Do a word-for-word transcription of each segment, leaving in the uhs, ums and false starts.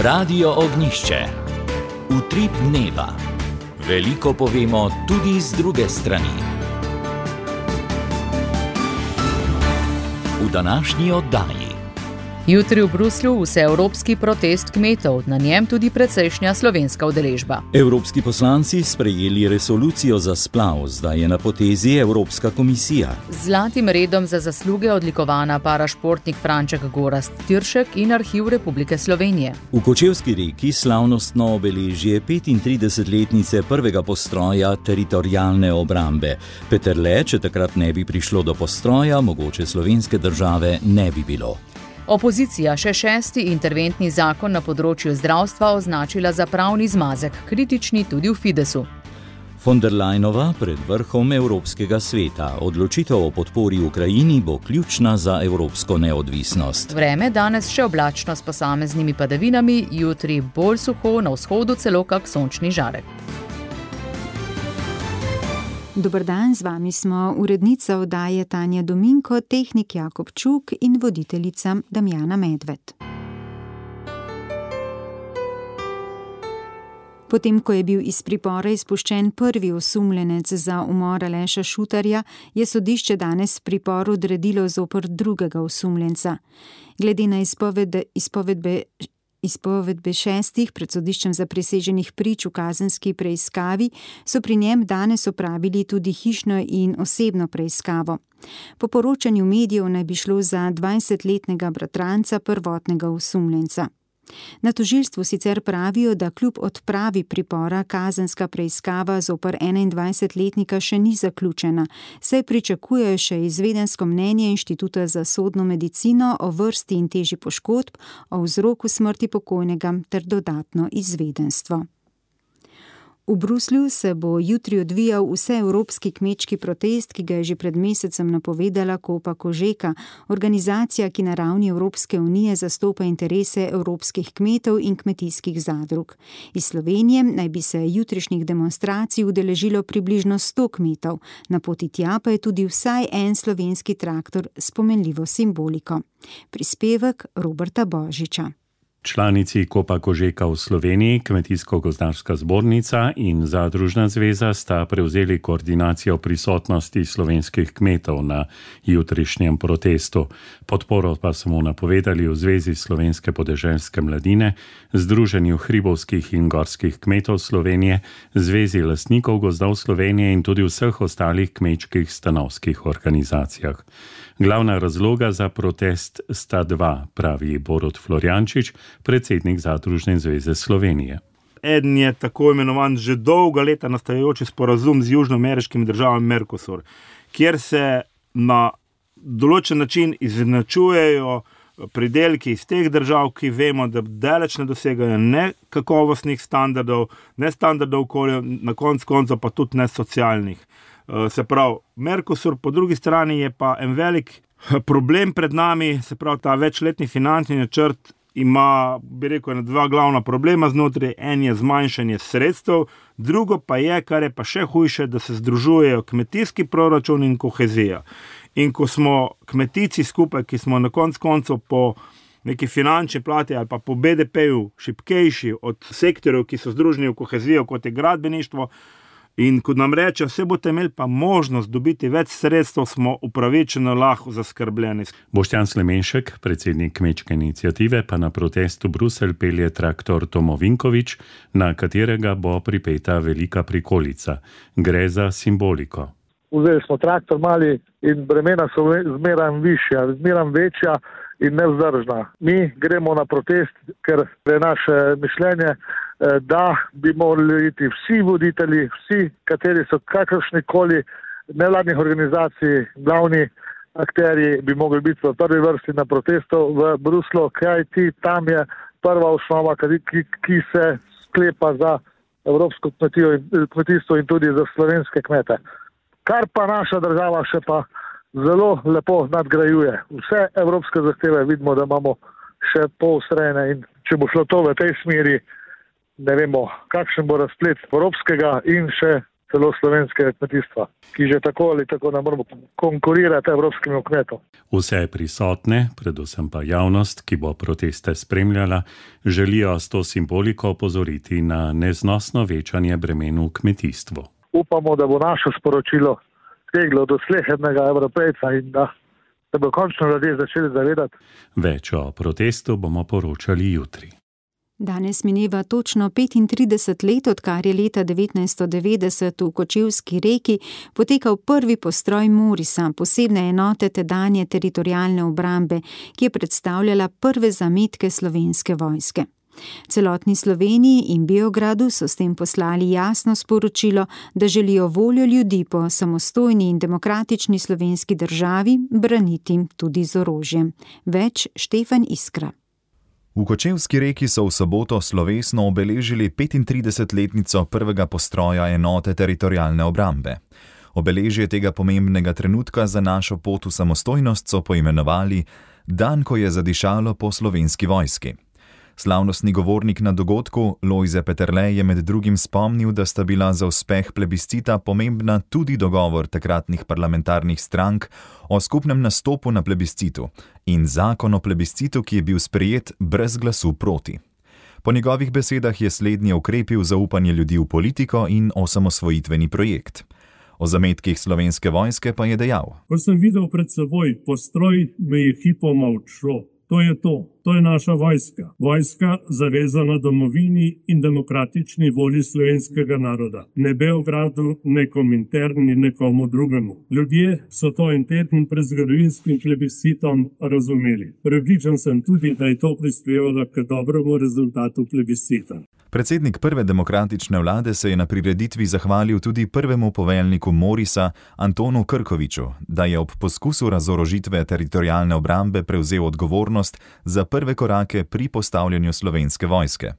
Radio Ognjišče. Utrip dneva. Veliko povemo tudi z druge strani. V današnji oddaji. Jutri v Bruslju vseevropski protest kmetov, na njem tudi precejšnja slovenska udeležba. Evropski poslanci sprejeli resolucijo za splav, zdaj je na potezi Evropska komisija. Z zlatim redom za zasluge odlikovana parašportnik Franček Gorazd Tiršek in Arhiv Republike Slovenije. V Kočevski Reki slavnostno obeležje petintridesetletnice prvega postroja teritorialne obrambe. Peterle, če takrat ne bi prišlo do postroja, mogoče slovenske države ne bi bilo. Opozicija še šesti interventni zakon na področju zdravstva označila za pravni zmazek, kritični tudi v Fidesu. Von der Leyenova pred vrhom Evropskega sveta. Odločitev o podpori Ukrajini bo ključna za evropsko neodvisnost. Vreme danes še oblačno s posameznimi padavinami, jutri bolj suho, na vzhodu celo kak sončni žarek. Dober dan, z vami smo urednica oddaje Tanja Dominko, tehnik Jakob Čuk in voditeljica Damjana Medved. Potem, ko je bil iz pripora izpuščen prvi osumljenec za umor Aleša Šutarja, je sodišče danes pripor odredilo zoper drugega osumljenca. Glede na izpoved, izpovedbe Izpovedbe šestih pred sodiščem zapriseženih prič v kazenski preiskavi so pri njem danes opravili tudi hišno in osebno preiskavo. Po poročanju medijev naj bi šlo za dvajsetletnega bratranca prvotnega osumljenca. Na tožilstvu sicer pravijo, da kljub odpravi pripora kazenska preiskava zoper enaindvajsetletnika še ni zaključena, saj pričakujejo še izvedensko mnenje Inštituta za sodno medicino o vrsti in teži poškodb, o vzroku smrti pokojnega ter dodatno izvedenstvo. V Bruslju se bo jutri odvijal vseevropski kmečki protest, ki ga je že pred mesecem napovedala Kopa Kožeka, organizacija, ki na ravni Evropske unije zastopa interese evropskih kmetov in kmetijskih zadrug. Iz Slovenije naj bi se jutrišnjih demonstracij udeležilo približno sto kmetov, na poti tja pa je tudi vsaj en slovenski traktor s pomenljivo simboliko. Prispevek Roberta Božiča. Članici Kopa Kožeka v Sloveniji, Kmetijsko-gozdarska zbornica in Zadružna zveza sta prevzeli koordinacijo prisotnosti slovenskih kmetov na jutrišnjem protestu. Podporo pa so mu napovedali v Zvezi slovenske podeželske mladine, Združenju hribovskih in gorskih kmetov Slovenije, Zvezi lastnikov gozdov Slovenije in tudi vseh ostalih kmečkih stanovskih organizacijah. Glavna razloga za protest sta dva, pravi Borut Florjančič, predsednik Zadružne zveze Slovenije. Eden je tako imenovan že dolga leta nastajajoči sporazum z južnoameriškimi državami Mercosur, kjer se na določen način izenačujejo pridelki iz teh držav, ki vemo, da daleč ne dosegajo ne kakovostnih standardov, ne standardov okolja, na koncu koncev pa tudi ne socialnih. Se pravi, Mercosur, po drugi strani je pa en velik problem pred nami, se pravi, ta večletni finančni načrt ima, bi rekel, dva glavna problema znotraj, en je zmanjšanje sredstev, drugo pa je, kar je pa še hujše, da se združujejo kmetijski proračun in kohezija. In ko smo kmetici skupaj, ki smo na koncu koncev po neki finančni plati ali pa po be de peju šibkejši od sektorjev, ki so združeni v kohezijo, kot je gradbeništvo, in ko nam reče, vse boste imeli pa možnost dobiti več sredstev, smo upravičeno lahko zaskrbljeni. Boštjan Slemenšek, predsednik kmečke iniciative, pa na protest v Bruselj pelje traktor Tomo Vinkovič, na katerega bo pripeta velika prikolica. Gre za simboliko. Vzeli smo traktor mali in bremena so zmeram višja, zmeram večja in nevzdržna. Mi gremo na protest, ker je naše mišljenje, da bi morali iti vsi voditelji, vsi, kateri so kakršnikoli nevladnih organizacij, glavni akterji, bi mogli biti v prvi vrsti na protestu v Bruslu, kajti tam je prva osnova, ki, ki se sklepa za evropsko kmetijo, kmetijstvo in tudi za slovenske kmete. Kar pa naša država še pa zelo lepo nadgrajuje. Vse evropske zahteve vidimo, da imamo še poostrene in če bo šlo to v tej smeri, ne vemo, kakšen bo razplet evropskega in še celo slovenskega kmetijstva, ki že tako ali tako ne moremo konkurirati evropskim kmetom. Vse prisotne, predvsem pa javnost, ki bo proteste spremljala, želijo s to simboliko opozoriti na neznosno večanje bremen v kmetijstvu. Upamo, da bo naše sporočilo steglo do slehernega Evropejca in da se bo končno ljudje začeli zavedati. Več o protestu bomo poročali jutri. Danes mineva točno petintrideset let, odkar je leta devetnajststo devetdeset v Kočevski Reki potekal prvi postroj Morisa, posebne enote tedanje teritorialne obrambe, ki je predstavljala prve zametke slovenske vojske. Celotni Sloveniji in Beogradu so s tem poslali jasno sporočilo, da želijo voljo ljudi po samostojni in demokratični slovenski državi braniti tudi z orožjem. Več Štefan Iskra. V Kočevski Reki so v soboto slovesno obeležili petintridesetletnico prvega postroja enote teritorialne obrambe. Obeležje tega pomembnega trenutka za našo pot v samostojnost so poimenovali Dan, ko je zadišalo po slovenski vojski. Slavnostni govornik na dogodku Lojze Peterle je med drugim spomnil, da sta bila za uspeh plebiscita pomembna tudi dogovor takratnih parlamentarnih strank o skupnem nastopu na plebiscitu in zakon o plebiscitu, ki je bil sprejet brez glasu proti. Po njegovih besedah je slednji okrepil zaupanje ljudi v politiko in osamosvojitveni projekt. O zametkih slovenske vojske pa je dejal: Ko sem videl pred seboj postroj, me je hipoma odšlo. To je to, to je naša vojska. Vojska zavezana domovini in demokratični volji slovenskega naroda. Ne Beogradu, ne Kominterni, ne komu drugemu. Ljudje so to en teden pred zgodovinskim plebiscitom razumeli. Prepričan sem tudi, da je to prispevalo k dobremu rezultatu plebiscita. Predsednik prve demokratične vlade se je na prireditvi zahvalil tudi prvemu poveljniku Morisa, Antonu Krkoviču, da je ob poskusu razorožitve teritorialne obrambe prevzel odgovornost za prve korake pri postavljanju slovenske vojske.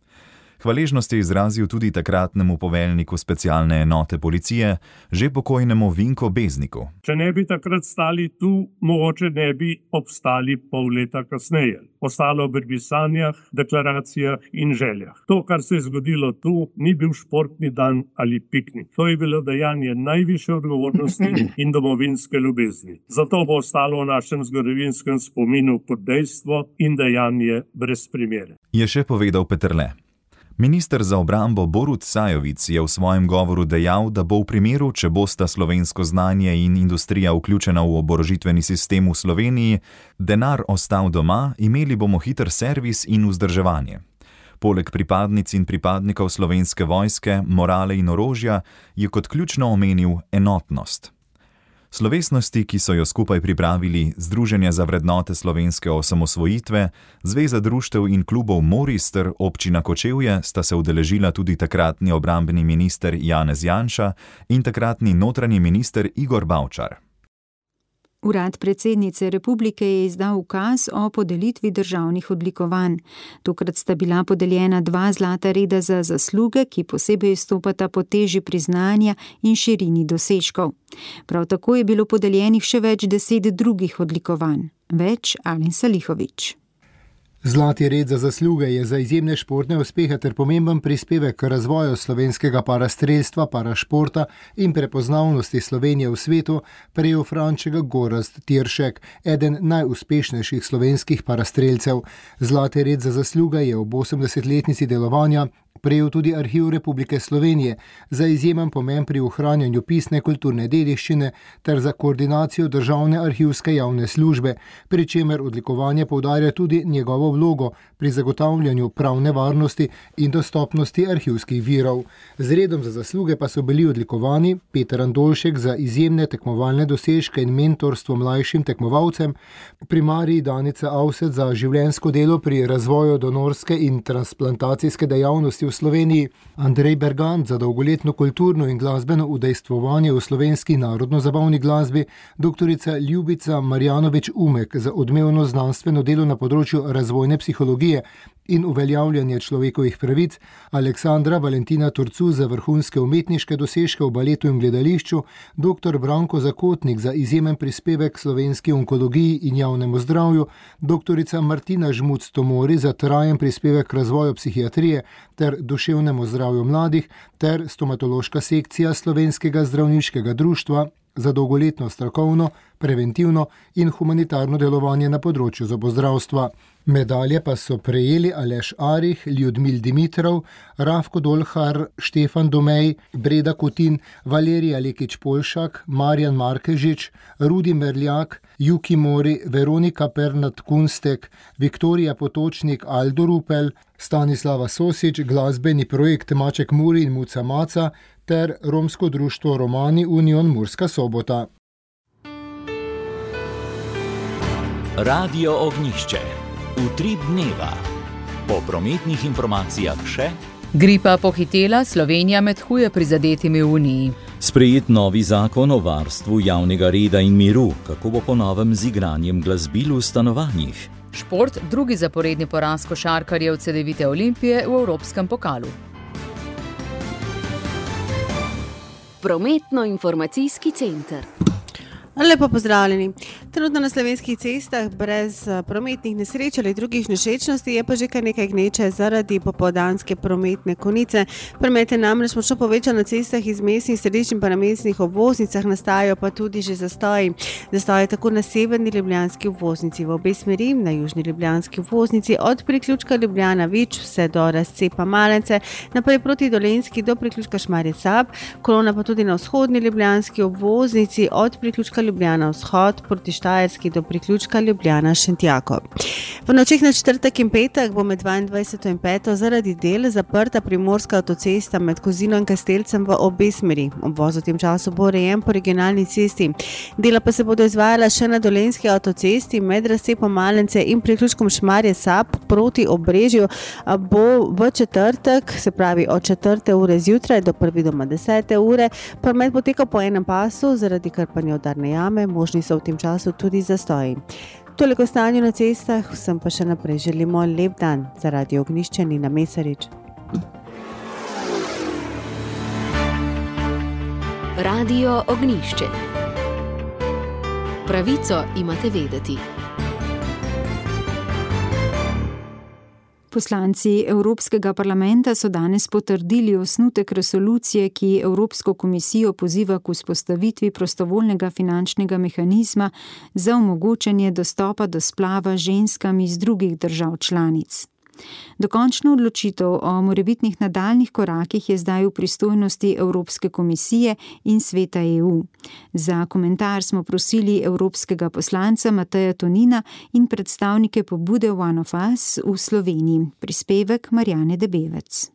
Hvaležnost je izrazil tudi takratnemu poveljniku specialne enote policije, že pokojnemu Vinko Bezniku. Če ne bi takrat stali tu, mogoče ne bi obstali pol leta kasneje. Ostalo bi pri sanjah, deklaracijah in željah. To, kar se je zgodilo tu, ni bil športni dan ali piknik. To je bilo dejanje najvišje odgovornosti in domovinske ljubezni. Zato bo ostalo v našem zgodovinskem spominu kot dejstvo in dejanje brez primere. Je še povedal Peterle. Minister za obrambo Borut Sajovic je v svojem govoru dejal, da bo v primeru, če bosta slovensko znanje in industrija vključena v oborožitveni sistem v Sloveniji, denar ostal doma, imeli bomo hiter servis in vzdrževanje. Poleg pripadnic in pripadnikov slovenske vojske, morale in orožja je kot ključno omenil enotnost. Slovesnosti, ki so jo skupaj pripravili Združenje za vrednote slovenske osamosvojitve, Zveza društev in klubov Moris ter občina Kočevje, sta se udeležila tudi takratni obrambni minister Janez Janša in takratni notranji minister Igor Bavčar. Urad predsednice republike je izdal ukaz o podelitvi državnih odlikovanj. Tokrat sta bila podeljena dva zlata reda za zasluge, ki posebej izstopata po teži priznanja in širini dosežkov. Prav tako je bilo podeljenih še več deset drugih odlikovanj. Več Alen Salihović. Zlati red za zasluge je za izjemne športne uspehe ter pomemben prispevek k razvoju slovenskega parastrelstva, parašporta in prepoznavnosti Slovenije v svetu prejel Franček Gorazd Tiršek, eden najuspešnejših slovenskih parastrelcev. Zlati red za zasluge je ob osemdesetletnici delovanja prejel tudi Arhiv Republike Slovenije za izjemen pomen pri ohranjanju pisne kulturne dediščine ter za koordinacijo državne arhivske javne službe, pri čemer odlikovanje poudarja tudi njegovo vlogo pri zagotavljanju pravne varnosti in dostopnosti arhivskih virov. Z redom za zasluge pa so bili odlikovani Peter Andolšek za izjemne tekmovalne dosežke in mentorstvo mlajšim tekmovalcem, primarij Danica Avset za življenjsko delo pri razvoju donorske in transplantacijske dejavnosti v Sloveniji, Andrej Bergant za dolgoletno kulturno in glasbeno udejstvovanje v slovenski narodno-zabavni glasbi, doktorica Ljubica Marjanovič Umek za odmevno znanstveno delo na področju razvojne psihologije in uveljavljanje človekovih pravic, Aleksandra Valentina Turcu za vrhunske umetniške dosežke v baletu in gledališču, doktor Branko Zakotnik za izjemen prispevek slovenski onkologiji in javnemu zdravju, doktorica Martina Žmuc Tomori za trajen prispevek razvoju psihiatrije ter ter duševnemu zdravju mladih ter stomatološka sekcija Slovenskega zdravniškega društva za dolgoletno strokovno, preventivno in humanitarno delovanje na področju zobozdravstva. Medalje pa so prejeli Aleš Arih, Ljudmil Dimitrov, Rafko Dolhar, Štefan Domej, Breda Kutin, Valerija Lekić-Polšak, Marjan Markežič, Rudi Merljak, Juki Mori, Veronika Pernat-Kunstek, Viktorija Potočnik, Aldo Rupel, Stanislava Sosič, glasbeni projekt Maček Muri in Muca Maca ter romsko društvo Romani Union Murska Sobota. Radio Ognjišče. Utrip dneva. Po prometnih informacijah še. Gripa pohitela, Slovenija med huje prizadetimi v Uniji. Sprejet novi zakon o varstvu javnega reda in miru, kako bo po novem z igranjem glasbil v stanovanjih. Šport, drugi zaporedni poraz košarkarjev Cedevite Olimpije v Evropskem pokalu. Prometno-informacijski center. Lepo pozdravljeni. Trenutno na slovenskih cestah brez prometnih nesreč ali drugih nevšečnosti je pa že kar nekaj gneče zaradi popoldanske prometne konice. Promet je namreč močno povečan na cestah iz mestnih središč in pa na mestnih obvoznicah, nastajajo pa tudi že zastoji. Zastoji tako na severni ljubljanski obvoznici v obe smeri, na južni ljubljanski obvoznici od priključka Ljubljana Vič vse do razcepa Malence, naprej proti Dolenjski do priključka Šmarje Sab, kolona pa tudi na vzhodni ljubljanski obvoznici od priključka Ljubljana Vzhod proti Štajerski do priključka Ljubljana Šentjakov. V nočeh na četrtek in petek bo med dvaindvajseto in peto zaradi del zaprta primorska avtocesta med Kozino in Kastelcem v obe smeri. Obvoz v tem času bo urejen po regionalni cesti. Dela pa se bodo izvajala še na Dolenjski avtocesti med razcepom Malence in priključkom Šmarje Sab proti Obrežju. Bo v četrtek, se pravi od četrte ure zjutraj do prve doma desete ure, promet potekal po enem pasu zaradi krpanja udarne jame, možni so v tem času tudi zastoji. Toliko stanju na cestah, vsem pa še naprej želimo lep dan. Za Radio Ognjišče Nina Mesarič. Radio Ognjišče. Pravico imate vedeti. Poslanci Evropskega parlamenta so danes potrdili osnutek resolucije, ki Evropsko komisijo poziva k vzpostavitvi prostovoljnega finančnega mehanizma za omogočanje dostopa do splava ženskam iz drugih držav članic. Dokončna odločitev o morebitnih nadaljnih korakih je zdaj v pristojnosti Evropske komisije in Sveta E U. Za komentar smo prosili evropskega poslanca Mateja Tonina in predstavnike pobude One of Us v Sloveniji. Prispevek Marjane Debevec.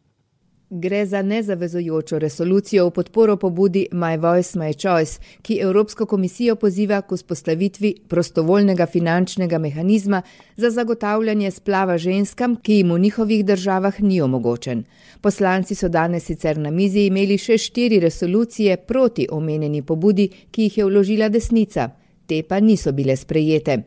Gre za nezavezujočo resolucijo v podporo pobudi My Voice, My Choice, ki Evropsko komisijo poziva k vzpostavitvi prostovoljnega finančnega mehanizma za zagotavljanje splava ženskam, ki jim v njihovih državah ni omogočen. Poslanci so danes sicer na mizi imeli še štiri resolucije proti omenjeni pobudi, ki jih je vložila desnica. Te pa niso bile sprejete.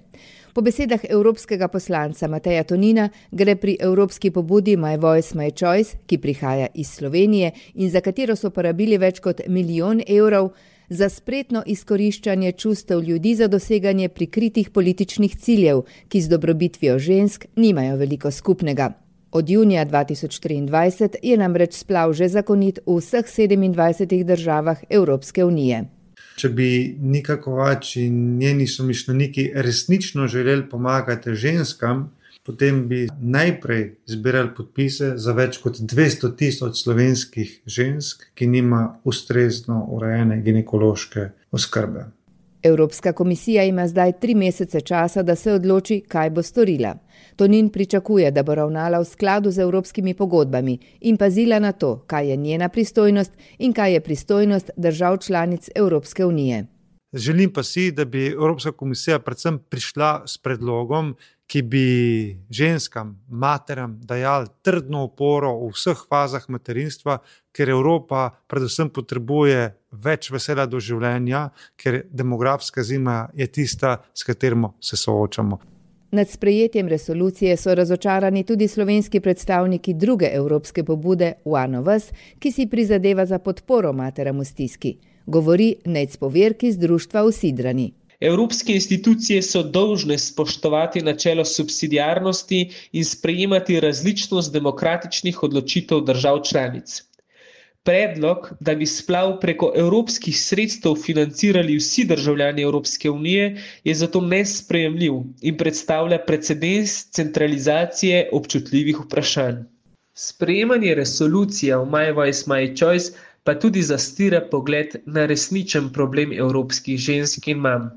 Po besedah evropskega poslanca Mateja Tonina gre pri evropski pobudi My Voice, My Choice, ki prihaja iz Slovenije in za katero so porabili več kot milijon evrov, za spretno izkoriščanje čustev ljudi za doseganje prikritih političnih ciljev, ki z dobrobitvijo žensk nimajo veliko skupnega. Od junija dva tisoč triindvajset je namreč splav že zakonit v vseh sedemindvajsetih državah Evropske unije. Če bi Nika Kovač in njeni somišljeniki resnično želeli pomagati ženskam, potem bi najprej zbirali podpise za več kot dvesto tisoč slovenskih žensk, ki nima ustrezno urejene ginekološke oskrbe. Evropska komisija ima zdaj tri mesece časa, da se odloči, kaj bo storila. Tonin pričakuje, da bo ravnala v skladu z evropskimi pogodbami in pazila na to, kaj je njena pristojnost in kaj je pristojnost držav članic Evropske unije. Želim pa si, da bi Evropska komisija predvsem prišla s predlogom, ki bi ženskam, materam dajali trdno oporo v vseh fazah materinstva, ker Evropa predvsem potrebuje več veselja do življenja, ker demografska zima je tista, s katerim se soočamo. Nad sprejetjem resolucije so razočarani tudi slovenski predstavniki druge evropske pobude One of Us, ki si prizadeva za podporo materam v stiski. Govori Nejc Poverk iz društva v Sidrani. Evropske institucije so dolžne spoštovati načelo subsidiarnosti in sprejemati različnost demokratičnih odločitev držav članic. Predlog, da bi splav preko evropskih sredstev financirali vsi državljani Evropske unije, je zato nesprejemljiv in predstavlja precedens centralizacije občutljivih vprašanj. Sprejemanje resolucije o My Voice, My Choice pa tudi zastira pogled na resničen problem evropskih žensk in mam.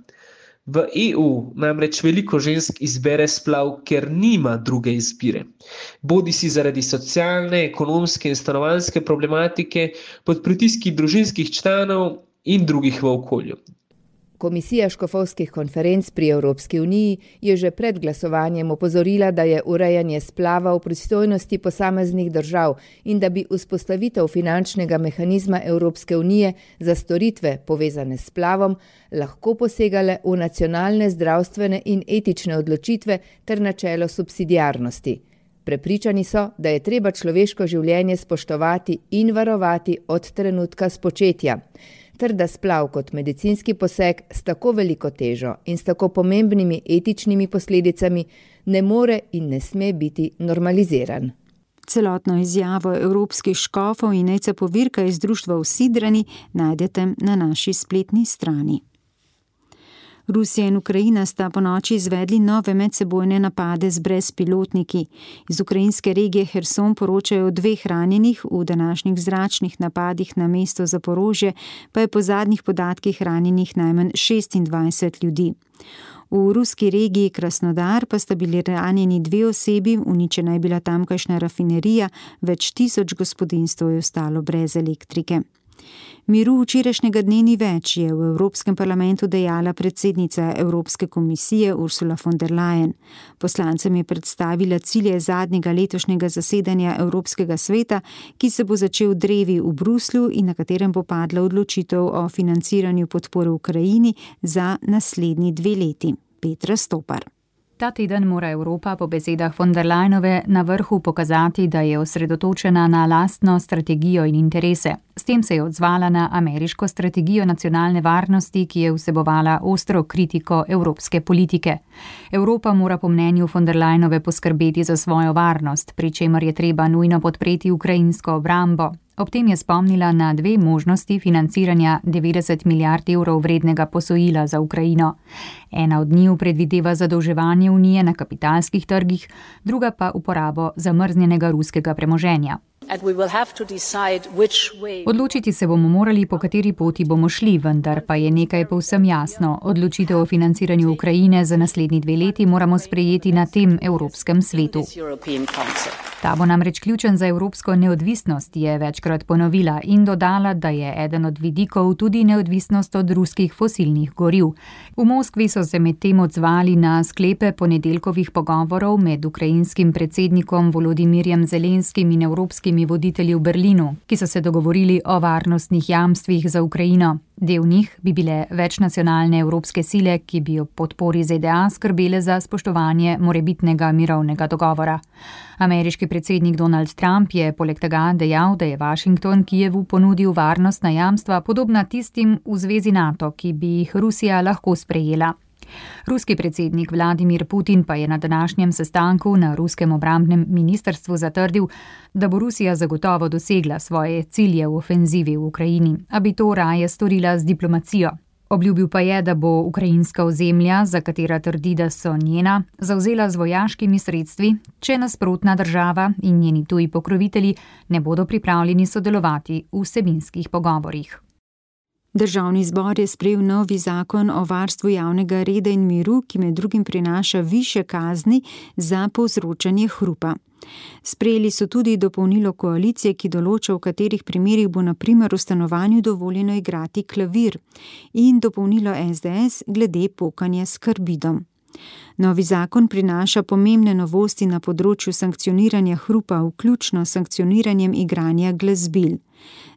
V E U namreč veliko žensk izbere splav, ker nima druge izbire. Bodi si zaradi socialne, ekonomske in stanovanjske problematike, pod pritiski družinskih članov in drugih v okolju. Komisija škofovskih konferenc pri Evropski uniji je že pred glasovanjem opozorila, da je urejanje splava v pristojnosti posameznih držav in da bi vzpostavitev finančnega mehanizma Evropske unije za storitve povezane s splavom lahko posegale v nacionalne zdravstvene in etične odločitve ter načelo subsidiarnosti. Prepričani so, da je treba človeško življenje spoštovati in varovati od trenutka spočetja, ter da splav kot medicinski poseg s tako veliko težo in s tako pomembnimi etičnimi posledicami ne more in ne sme biti normaliziran. Celotno izjavo evropskih škofov in Nejca Povirka iz društva v Sidrani najdete na naši spletni strani. Rusija in Ukrajina sta ponoči izvedli nove medsebojne napade z brezpilotniki. Iz ukrajinske regije Herson poročajo o dveh ranjenih, v današnjih zračnih napadih na mesto Zaporožje pa je po zadnjih podatkih ranjenih najmanj šestindvajset ljudi. V ruski regiji Krasnodar pa sta bili ranjeni dve osebi, uničena je bila tamkajšnja rafinerija, več tisoč gospodinjstev je ostalo brez elektrike. Miru včerajšnjega dne ni več, je v Evropskem parlamentu dejala predsednica Evropske komisije Ursula von der Leyen. Poslancem je predstavila cilje zadnjega letošnjega zasedanja Evropskega sveta, ki se bo začel drevi v Bruslju in na katerem bo padla odločitev o financiranju podpore Ukrajini za naslednji dve leti. Petra Stopar. Ta teden mora Evropa po besedah von der Leyenove na vrhu pokazati, da je osredotočena na lastno strategijo in interese. S tem se je odzvala na ameriško strategijo nacionalne varnosti, ki je vsebovala ostro kritiko evropske politike. Evropa mora po mnenju von der Leyenove poskrbeti za svojo varnost, pri čemer je treba nujno podpreti ukrajinsko obrambo. Ob tem je spomnila na dve možnosti financiranja devetdeset milijard evrov vrednega posojila za Ukrajino. Ena od njiju predvideva zadolževanje Unije na kapitalskih trgih, druga pa uporabo zamrznjenega ruskega premoženja. Odločiti se bomo morali, po kateri poti bomo šli, vendar pa je nekaj povsem jasno. Odločitev o financiranju Ukrajine za naslednji dve leti moramo sprejeti na tem Evropskem svetu. Ta bo namreč ključen za evropsko neodvisnost, je večkrat ponovila in dodala, da je eden od vidikov tudi neodvisnost od ruskih fosilnih goriv. V Moskvi so se medtem odzvali na sklepe ponedeljkovih pogovorov med ukrajinskim predsednikom Volodimirjem Zelenskim in evropskimi voditelji v Berlinu, ki so se dogovorili o varnostnih jamstvih za Ukrajino. Del njih bi bile večnacionalne evropske sile, ki bi ob podpori Z D A skrbele za spoštovanje morebitnega mirovnega dogovora. Ameriški predsednik Donald Trump je poleg tega dejal, da je Washington Kijevu ponudil varnostna jamstva podobna tistim v zvezi NATO, ki bi jih Rusija lahko sprejela. Ruski predsednik Vladimir Putin pa je na današnjem sestanku na ruskem obrambnem ministrstvu zatrdil, da bo Rusija zagotovo dosegla svoje cilje v ofenzivi v Ukrajini, a bi to raje storila z diplomacijo. Obljubil pa je, da bo ukrajinska ozemlja, za katera trdi, da so njena, zavzela z vojaškimi sredstvi, če nasprotna država in njeni tuji pokrovitelji ne bodo pripravljeni sodelovati v vsebinskih pogovorih. Državni zbor je sprejel novi zakon o varstvu javnega reda in miru, ki med drugim prinaša višje kazni za povzročanje hrupa. Sprejeli so tudi dopolnilo koalicije, ki določa, v katerih primerih bo na primer v stanovanju dovoljeno igrati klavir, in dopolnilo S D S glede pokanja s karbidom. Novi zakon prinaša pomembne novosti na področju sankcioniranja hrupa, vključno s sankcioniranjem igranja glasbil.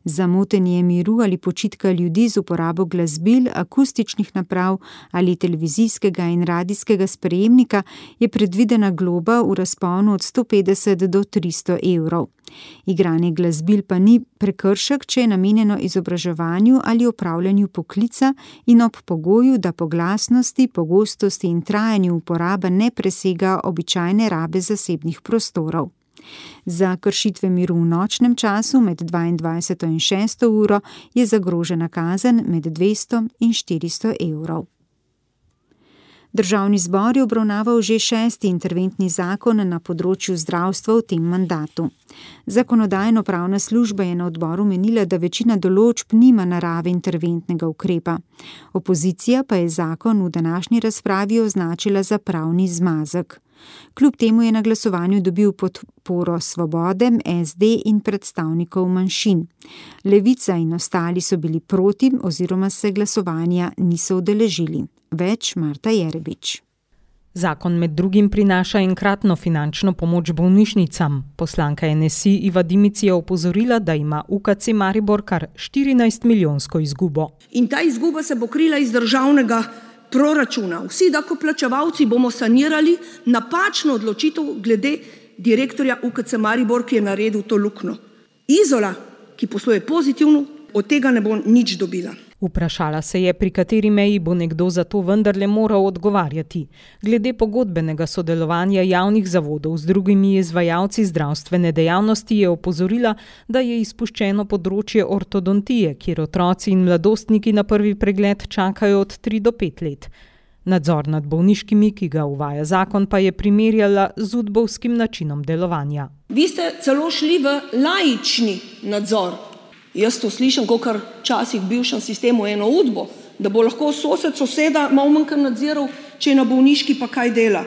Za motenje miru ali počitka ljudi z uporabo glasbil, akustičnih naprav ali televizijskega in radijskega sprejemnika je predvidena globa v razponu od sto petdeset do tristo evrov. Igranje glasbil pa ni prekršek, če je namenjeno izobraževanju ali opravljanju poklica in ob pogoju, da po glasnosti, pogostosti in trajanju uporabe ne presega običajne rabe zasebnih prostorov. Za kršitve miru v nočnem času med dvaindvajseto in šesto uro je zagrožena kazen med dvesto in štiristo evrov. Državni zbor je obravnaval že šesti interventni zakon na področju zdravstva v tem mandatu. Zakonodajno-pravna služba je na odboru menila, da večina določb nima narave interventnega ukrepa. Opozicija pa je zakon v današnji razpravi označila za pravni zmazek. Kljub temu je na glasovanju dobil podporo Svobode, es de in predstavnikov manjšin. Levica in ostali so bili proti oziroma se glasovanja niso udeležili. Več Marta Jerebič. Zakon med drugim prinaša enkratno finančno pomoč bolnišnicam. Poslanka en es i Iva Dimic je opozorila, da ima U K C Maribor kar štirinajst milijonsko izgubo. In ta izguba se bo krila iz državnega proračuna. Vsi davkoplačevalci bomo sanirali napačno odločitev glede direktorja U K C Maribor, ki je naredil to luknjo. Izola, ki posluje pozitivno, od tega ne bo nič dobila. Vprašala se je, pri kateri meji bo nekdo za to vendarle moral odgovarjati. Glede pogodbenega sodelovanja javnih zavodov z drugimi izvajalci zdravstvene dejavnosti je opozorila, da je izpuščeno področje ortodontije, kjer otroci in mladostniki na prvi pregled čakajo od tri do pet let. Nadzor nad bolniškimi, ki ga uvaja zakon, pa je primerjala z udbovskim načinom delovanja. Vi ste celo šli v laični nadzor. Jaz to slišim, kakor včasih v bivšem sistemu eno udbo, da bo lahko sosed soseda malo manj nadziral, če je na bolniški pa kaj dela.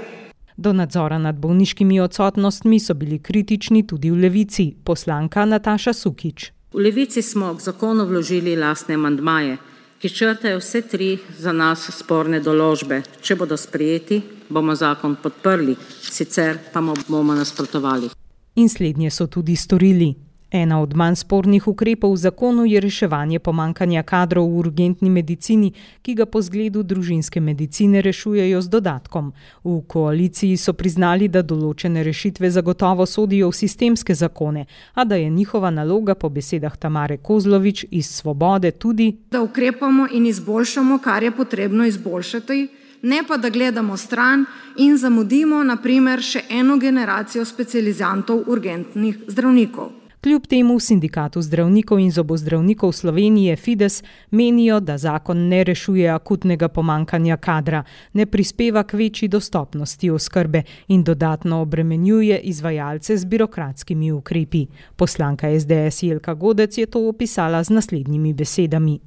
Do nadzora nad bolniškimi odsotnostmi so bili kritični tudi v Levici, poslanka Nataša Sukič. V Levici smo k zakonu vložili lastne amandmaje, ki črtajo vse tri za nas sporne določbe. Če bodo sprejeti, bomo zakon podprli, sicer pa bomo nasprotovali. In slednje so tudi storili. Ena od manj spornih ukrepov v zakonu je reševanje pomankanja kadrov v urgentni medicini, ki ga po zgledu družinske medicine rešujejo z dodatkom. V koaliciji so priznali, da določene rešitve zagotovo sodijo v sistemske zakone, a da je njihova naloga po besedah Tamare Kozlovič iz Svobode tudi, da ukrepamo in izboljšamo, kar je potrebno izboljšati, ne pa da gledamo stran in zamudimo na primer še eno generacijo specializantov urgentnih zdravnikov. Kljub temu v Sindikatu zdravnikov in zobozdravnikov Slovenije Fides menijo, da zakon ne rešuje akutnega pomankanja kadra, ne prispeva k večji dostopnosti oskrbe in dodatno obremenjuje izvajalce z birokratskimi ukrepi. Poslanka es de es Jelka Godec je to opisala z naslednjimi besedami.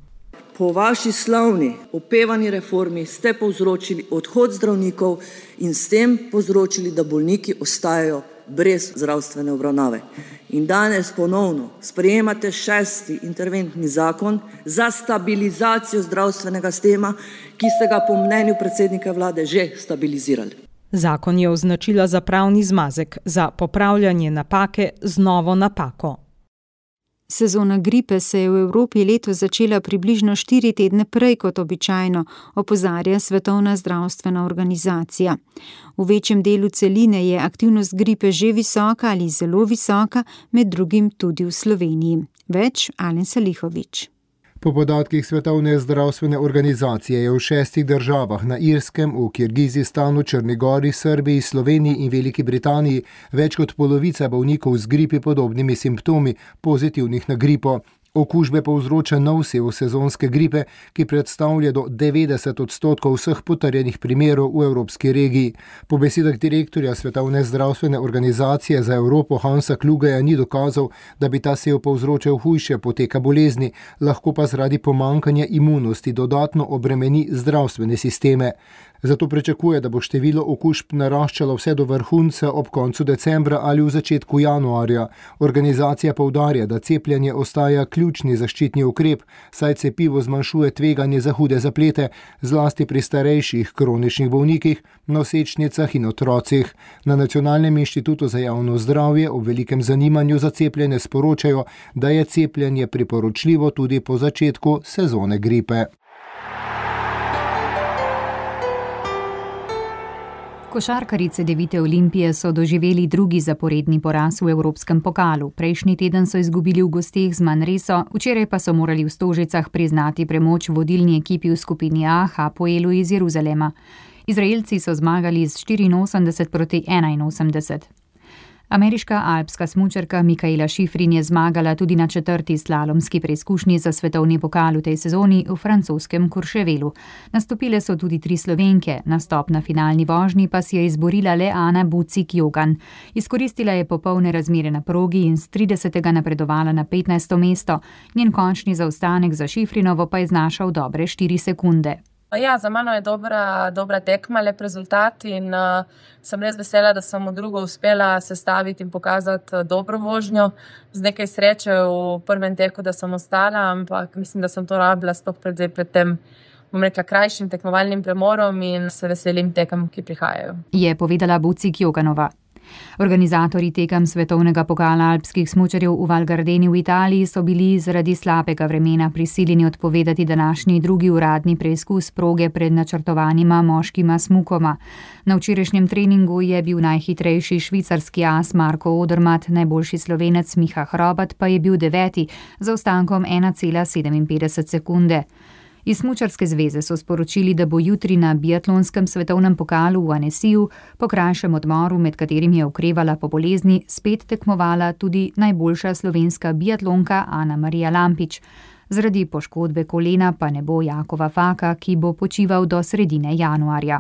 Po vaši slavni opevani reformi ste povzročili odhod zdravnikov in s tem povzročili, da bolniki ostajajo brez zdravstvene obravnave. In danes ponovno sprejemate šesti interventni zakon za stabilizacijo zdravstvenega sistema, ki ste ga po mnenju predsednika vlade že stabilizirali. Zakon je označila za pravni zmazek, za popravljanje napake z novo napako. Sezona gripe se je v Evropi letos začela približno štiri tedne prej kot običajno, opozarja Svetovna zdravstvena organizacija. V večjem delu celine je aktivnost gripe že visoka ali zelo visoka, med drugim tudi v Sloveniji. Več Alen Salihovič. Po podatkih Svetovne zdravstvene organizacije je v šestih državah na Irskem, v Kirgizistanu, Črni Gori, Srbiji, Sloveniji in Veliki Britaniji več kot polovica bolnikov z gripi podobnimi simptomi pozitivnih na gripo. Okužbe povzroča nov sev sezonske gripe, ki predstavlja do devetdeset odstotkov vseh potrjenih primerov v evropski regiji. Po besedah direktorja Svetovne zdravstvene organizacije za Evropo Hansa Klugeja ni dokazal, da bi ta sev povzročal hujše poteka bolezni, lahko pa zaradi pomankanja imunosti dodatno obremeni zdravstvene sisteme. Zato pričakuje, da bo število okužb naraščalo vse do vrhunca ob koncu decembra ali v začetku januarja. Organizacija poudarja, da cepljenje ostaja ključni zaščitni ukrep, saj cepivo zmanjšuje tveganje za hude zaplete, zlasti pri starejših kroničnih bolnikih, nosečnicah in otrocih. Na Nacionalnem inštitutu za javno zdravje ob velikem zanimanju za cepljenje sporočajo, da je cepljenje priporočljivo tudi po začetku sezone gripe. Košarkarice Devite Olimpije so doživeli drugi zaporedni poraz v Evropskem pokalu. Prejšnji teden so izgubili v gosteh z Manreso, včeraj pa so morali v Stožicah priznati premoč vodilni ekipi v skupini A Hapoelu iz Jeruzalema. Izraelci so zmagali z štiriinosemdeset proti enainosemdeset. Ameriška alpska smučarka Mikaela Šifrin je zmagala tudi na četrti slalomski preizkušnji za svetovni pokal v tej sezoni v francoskem Courchevelu. Nastopile so tudi tri Slovenke, nastop na finalni vožnji pa si je izborila le Ana Bucik-Jogan. Izkoristila je popolne razmere na progi in z tridesetega napredovala na petnajsto mesto. Njen končni zaostanek za Šifrinovo pa je znašal dobre štiri sekunde. Ja, za mano je dobra, dobra tekma, lep rezultat in uh, sem res vesela, da sem v drugo uspela sestaviti in pokazati dobro vožnjo. Z nekaj sreče v prvem teku, da sem ostala, ampak mislim, da sem to rabila sploh pred, pred tem, bom rekla, krajšim tekmovalnim premorom in se veselim tekem, ki prihajajo. Je povedala Bucik-Joganova. Organizatorji tekem svetovnega pokala alpskih smučarjev v Val Gardeni v Italiji so bili zaradi slabega vremena prisiljeni odpovedati današnji drugi uradni preizkus proge pred načrtovanima moškima smukoma. Na včerajšnjem treningu je bil najhitrejši švicarski as Marko Odermatt, najboljši Slovenec Miha Hrobat pa je bil deveti z zaostankom ena cela sedeminpetdeset sekunde. Iz Smučarske zveze so sporočili, da bo jutri na biatlonskem svetovnem pokalu v Annesiju po krajšem odmoru, med katerim je okrevala po bolezni, spet tekmovala tudi najboljša slovenska biatlonka Ana Marija Lampič. Zaradi poškodbe kolena pa ne bo Jakova Faka, ki bo počival do sredine januarja.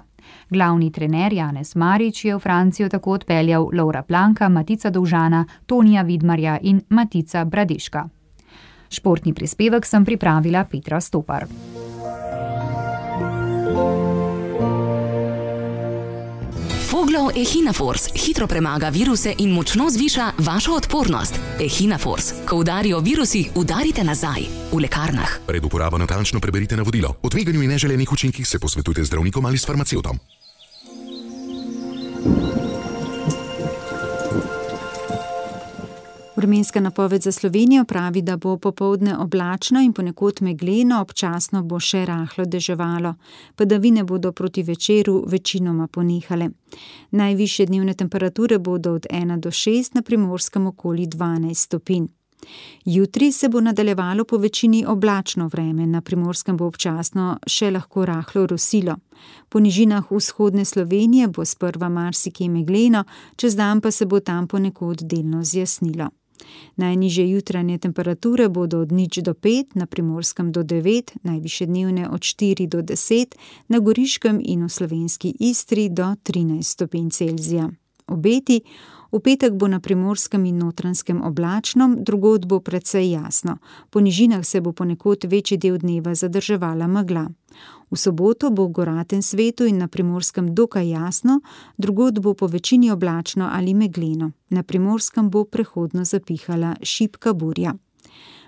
Glavni trener Janez Marič je v Francijo tako odpeljal Laura Planka, Matica Dovžana, Tonija Vidmarja in Matica Bradeška. Športni prispevek sem pripravila Petra Stopar. Foglov Echinafors hitro premaga viruse in močno zviša vašo odpornost. Echinafors. Ko udarijo virusi, udarite nazaj. V lekarnah. Pred uporabo natančno preberite navodilo. O tveganju in neželenih učinkih se posvetujte z zdravnikom ali s farmacevtom. Vremenska napoved za Slovenijo pravi, da bo popoldne oblačno in ponekod megleno, občasno bo še rahlo deževalo. Padavine bodo proti večeru večinoma ponehale. Najvišje dnevne temperature bodo od ena do šest, na Primorskem okoli dvanajst stopinj. Jutri se bo nadaljevalo po večini oblačno vreme, na Primorskem bo občasno še lahko rahlo rosilo. Po nižinah vzhodne Slovenije bo sprva marsikje megleno, čez dan pa se bo tam ponekod delno zjasnilo. Najnižje jutranje temperature bodo od nič do pet, na Primorskem do devet, najvišje dnevne od štiri do deset, na Goriškem in v slovenski Istri do trinajst stopinj Celzija. Obeti: v petek bo na Primorskem in Notranjskem oblačno, drugod bo precej jasno. Po nižinah se bo ponekod večji del dneva zadrževala megla. V soboto bo v goratem svetu in na Primorskem dokaj jasno, drugod bo po večini oblačno ali megleno. Na Primorskem bo prehodno zapihala šibka burja.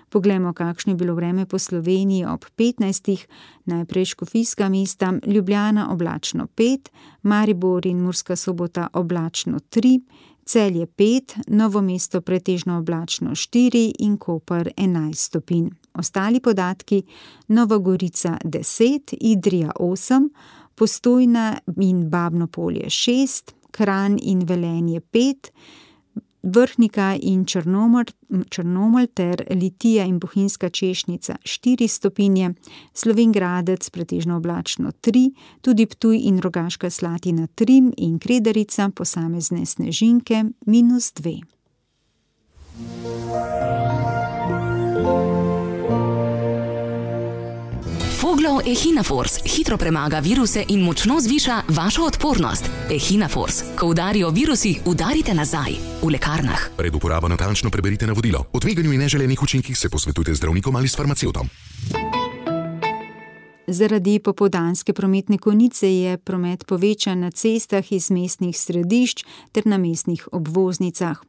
Poglejmo, kakšno je bilo vreme po Sloveniji ob petnajstih. Najprej Škofijska mesta, Ljubljana oblačno pet, Maribor in Murska Sobota oblačno tri, Celje pet, Novo mesto pretežno oblačno štiri in Koper enajst stopinj. Ostali podatki: Nova Gorica deset, Idrija osem, Postojna in Babno Polje šest, Kranj in Velenje pet, Vrhnika in Črnomelj, Črnomelj ter Litija in Bohinjska Češnica štiri stopinje, Slovenj Gradec pretežno oblačno tri, tudi Ptuj in Rogaška Slatina tri in Kredarica posamezne snežinke minus dve. Foglov Echinafors hitro premaga viruse in močno zviša vašo odpornost. Echinafors. Ko udarijo virusi, udarite nazaj. V lekarnah. Pred uporabo natančno preberite navodilo. O tveganju in neželenih učinkih se posvetujte z zdravnikom ali s farmacevtom. Zaradi popoldanske prometne konice je promet povečan na cestah iz mestnih središč ter na mestnih obvoznicah.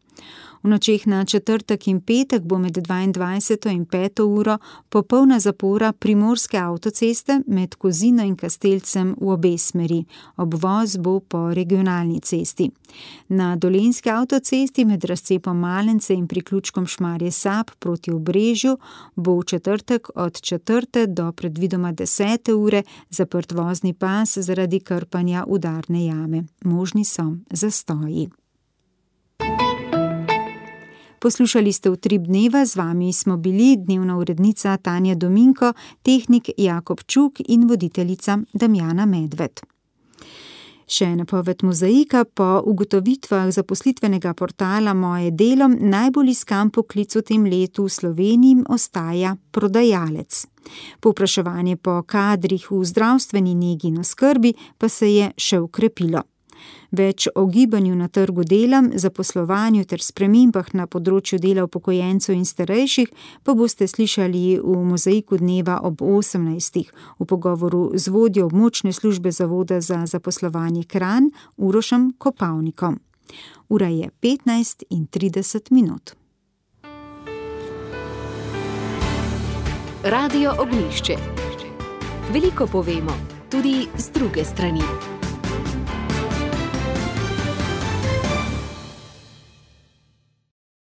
V nočeh na četrtek in petek bo med dvaindvajseto in peto uro popolna zapora primorske avtoceste med Kozino in Kastelcem v obe smeri. Obvoz bo po regionalni cesti. Na dolenjski avtocesti med razcepom Malence in priključkom Šmarje Sap proti Obrežju bo v četrtek od četrte do predvidoma desete ure zaprt vozni pas zaradi krpanja udarne jame. Možni so zastoji. Poslušali ste Utrip dneva, z vami smo bili dnevna urednica Tanja Dominko, tehnik Jakob Čuk in voditeljica Damjana Medved. Še napoved Mozaika: po ugotovitvah zaposlitvenega portala Moje delo najbolj iskan poklic v tem letu v Sloveniji ostaja prodajalec. Povpraševanje po kadrih v zdravstveni negi in oskrbi pa se je še ukrepilo. Več o gibanju na trgu dela, zaposlovanju ter spremembah na področju dela upokojencev in starejših pa boste slišali v Mozaiku dneva ob osemnajstih v pogovoru z vodjo območne službe Zavoda za zaposlovanje Kranj Urošem Kopavnikom. Ura je petnajst in trideset minut. Radio Ognjišče. Veliko povemo, tudi z druge strani.